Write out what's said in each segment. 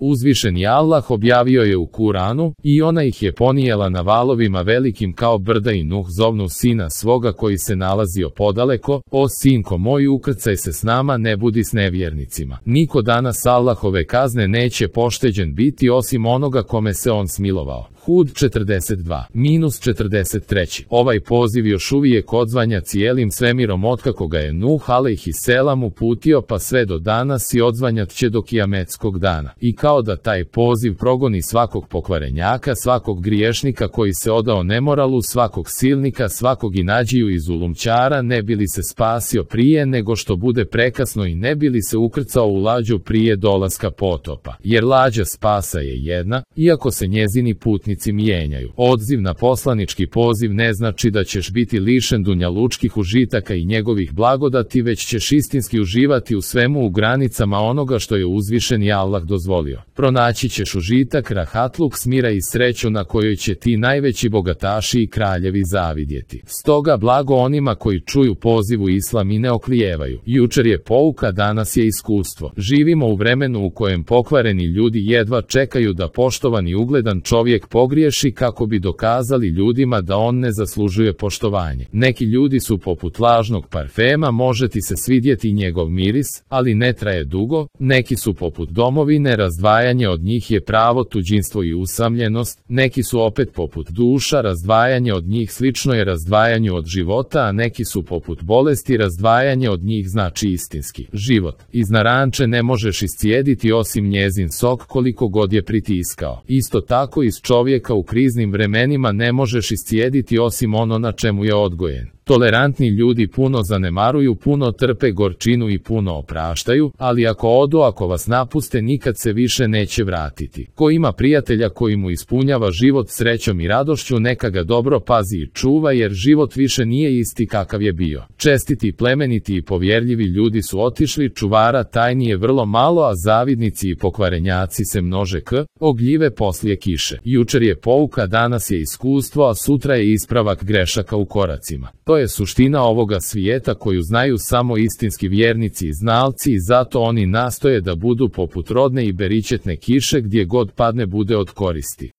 Uzvišeni Allah objavio je u Kuranu, i ona ih je ponijela na valovima velikim kao brda i Nuh zovnu sina svoga koji se nalazio podaleko, o sinko moj ukrcaj se s nama ne budi s nevjernicima. Niko danas Allahove kazne neće pošteđen biti osim onoga kome se on smilovao. Hud 42-43. Ovaj poziv još uvijek odzvanja cijelim svemirom otkako ga je Nuh alejhiselam uputio pa sve do danas i odzvanjat će do kijametskog dana. I kao da taj poziv progoni svakog pokvarenjaka, svakog griješnika koji se odao nemoralu, svakog silnika, svakog inađiju i zulumčara, ne bi li se spasio prije nego što bude prekasno i ne bi li se ukrcao u lađu prije dolaska potopa. Jer lađa spasa je jedna, iako se njezini putnici mijenjaju. Odziv na poslanički poziv ne znači da ćeš biti lišen dunjalučkih užitaka i njegovih blagodati, već ćeš istinski uživati u svemu u granicama onoga što je uzvišeni Allah dozvolio. Pronaći ćeš užitak, rahatluk, smira i sreću na kojoj će ti najveći bogataši i kraljevi zavidjeti. Stoga blago onima koji čuju pozivu islam i ne oklijevaju. Jučer je pouka, danas je iskustvo. Živimo u vremenu u kojem pokvareni ljudi jedva čekaju da poštovani ugledan čovjek pogriješi kako bi dokazali ljudima da on ne zaslužuje poštovanje. Neki ljudi su poput lažnog parfema, može ti se svidjeti njegov miris, ali ne traje dugo. Neki su poput domovine, razdvajanje od njih je pravo tuđinstvo i usamljenost. Neki su opet poput duša, razdvajanje od njih slično je razdvajanju od života, a neki su poput bolesti, razdvajanje od njih znači istinski život. Iz naranče ne možeš iscijediti osim njezin sok koliko god je pritiskao. Isto tako iz čovjeka u kriznim vremenima ne možeš iscijediti osim ono na čemu je odgojen. Tolerantni ljudi puno zanemaruju, puno trpe gorčinu i puno opraštaju, ali ako odu, ako vas napuste, nikad se više neće vratiti. Ko ima prijatelja koji mu ispunjava život srećom i radošću, neka ga dobro pazi i čuva, jer život više nije isti kakav je bio. Čestiti, plemeniti i povjerljivi ljudi su otišli, čuvara tajni je vrlo malo, a zavidnici i pokvarenjaci se množe ogljive poslije kiše. Jučer je pouka, danas je iskustvo, a sutra je ispravak grešaka u koracima. To je suština ovoga svijeta koju znaju samo istinski vjernici i znalci, i zato oni nastoje da budu poput rodne i beričetne kiše, gdje god padne bude od koristi.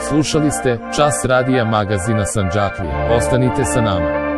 Slušali ste Čas radija magazina Sandžaklija. Ostanite sa nama.